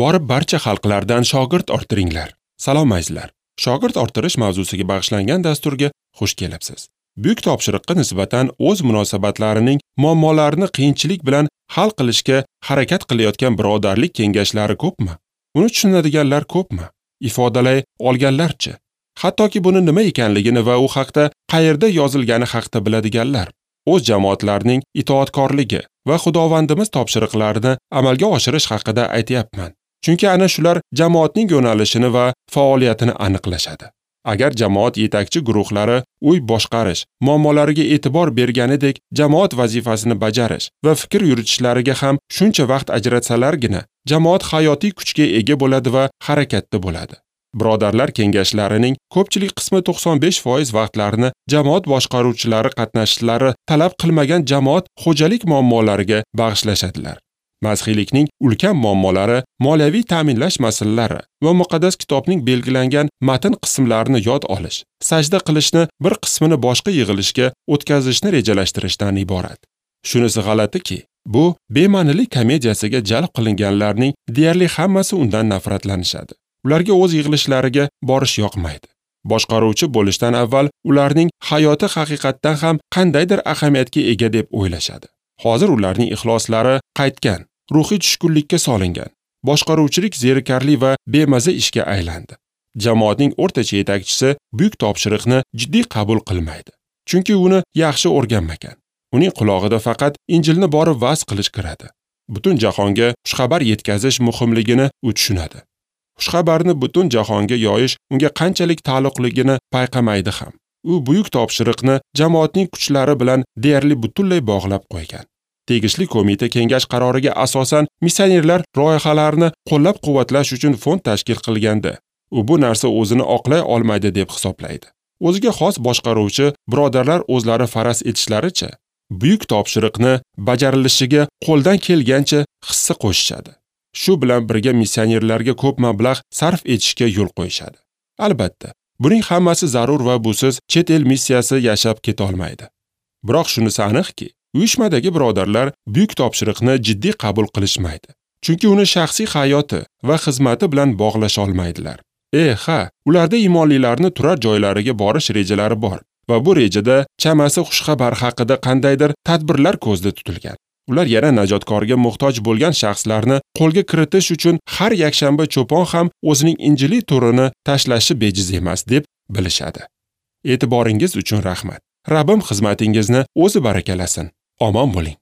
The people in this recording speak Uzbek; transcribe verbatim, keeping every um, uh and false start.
Borib barcha xalqlardan shogird orttiringlar. Salom azizlar. Shogird orttirish mavzusiga bag'ishlangan dasturga xush kelibsiz. Buyuk topshiriqqa nisbatan o'z munosabatlarining muammolarini qiyinchilik bilan hal qilishga harakat qilayotgan birodarlik kengashlari ko'pmi? Uni tushunadiganlar ko'pmi? Ifodalay olganlarchi? Hattoki buni nima ekanligini va u haqda qayerda yozilgani haqda biladiganlar. O'z jamoatlarining itoatkorligi va Xudovandimiz topshiriqlarini amalga oshirish haqida aytayapman. Chunki ana shular jamoatning yo'nalishini va faoliyatini aniqlashadi. Agar jamoat yetakchi guruhlari uy boshqarish muammolariga e'tibor berganidek jamoat vazifasini bajarish va fikr yuritishlariga ham shuncha vaqt ajratsalargina jamoat hayotiy kuchga ega bo'ladi va harakatda bo'ladi. Birodarlar kengashlarining ko'pchilik qismi to'qson besh foiz vaqtlarini jamoat boshqaruvchilari qatnashishlari talab qilmagan jamoat xo'jalik muammolariga bag'ishlashadilar. Masihiylikning ulkan muammolari moliyaviy ta'minlash masalalari va muqaddas kitobning belgilangan matn qismlarini yod olish, sajda qilishni bir qismini boshqa yig'ilishga o'tkazishni rejalashtirishdan iborat. Shunisi g'alatiki, bu bema'nilik komediyasiga jalb qilinganlarning deyarli hammasi undan nafratlanishadi. Ularga o'z yig'ilishlariga borish yoqmaydi. Boshqaruvchi bo'lishdan avval ularning hayoti haqiqatdan ham qandaydir ahamiyatga ega deb o'ylashadi. Hozir ularning ixloslari qaytgan, ruhiy tushkunlikka solingan. Boshqaruvchilik zerikarli va bemaza ishga aylandi. Jamoatning o'rtacha yetakchisi buyuk topshiriqni jiddiy qabul qilmaydi. Chunki uni yaxshi o'rganmagan. Uning qulog'ida faqat Injilni borib va'z qilish kiradi. Butun jahonga xushxabar yetkazish muhimligini u tushunadi. Xushxabarni butun jahonga yoyish unga qanchalik taalluqligini payqamaydi ham. U buyuk topshiriqni jamoatning kuchlari bilan deyarli butunlay bog'lab qo'ygan. Tegishli qo'mita kengash qaroriga asosan missionerlar loyihalarini qo'llab-quvvatlash uchun fond tashkil qilganda, u bu narsa o'zini oqlay olmaydi deb hisoblaydi. O'ziga xos boshqaruvchi birodarlar o'zlari faraz etishlaricha, buyuk topshiriqni bajarilishiga qo'ldan kelgancha hissa qo'shishadi. Shu bilan birga missionerlarga ko'p mablag' sarf etishga yo'l qo'yishadi. Albatta, buning hammasi zarur va busiz chet el missiyasi yashab keta olmaydi. Biroq shunisi aniqki, uyushmadagi birodarlar buyuk topshiriqni jiddiy qabul qilishmaydi. Chunki uni shaxsiy hayoti va xizmati bilan bog'lasha olmaydilar. E, ha, ularda iymonlilarni turar joylariga borish rejalari bor va bu rejada chamasi xushxabar haqida qandaydir tadbirlar ko'zda tutilgan. Ular yana najotkorga muhtoj bo'lgan shaxslarni qo'lga kiritish uchun har yakshanba cho'pon ham o'zining injiliy turini tashlashi bejiz emas deb bilishadi. E'tiboringiz uchun rahmat. Rabbim xizmatingizni o'zi barakalasin. Omon bo'ling.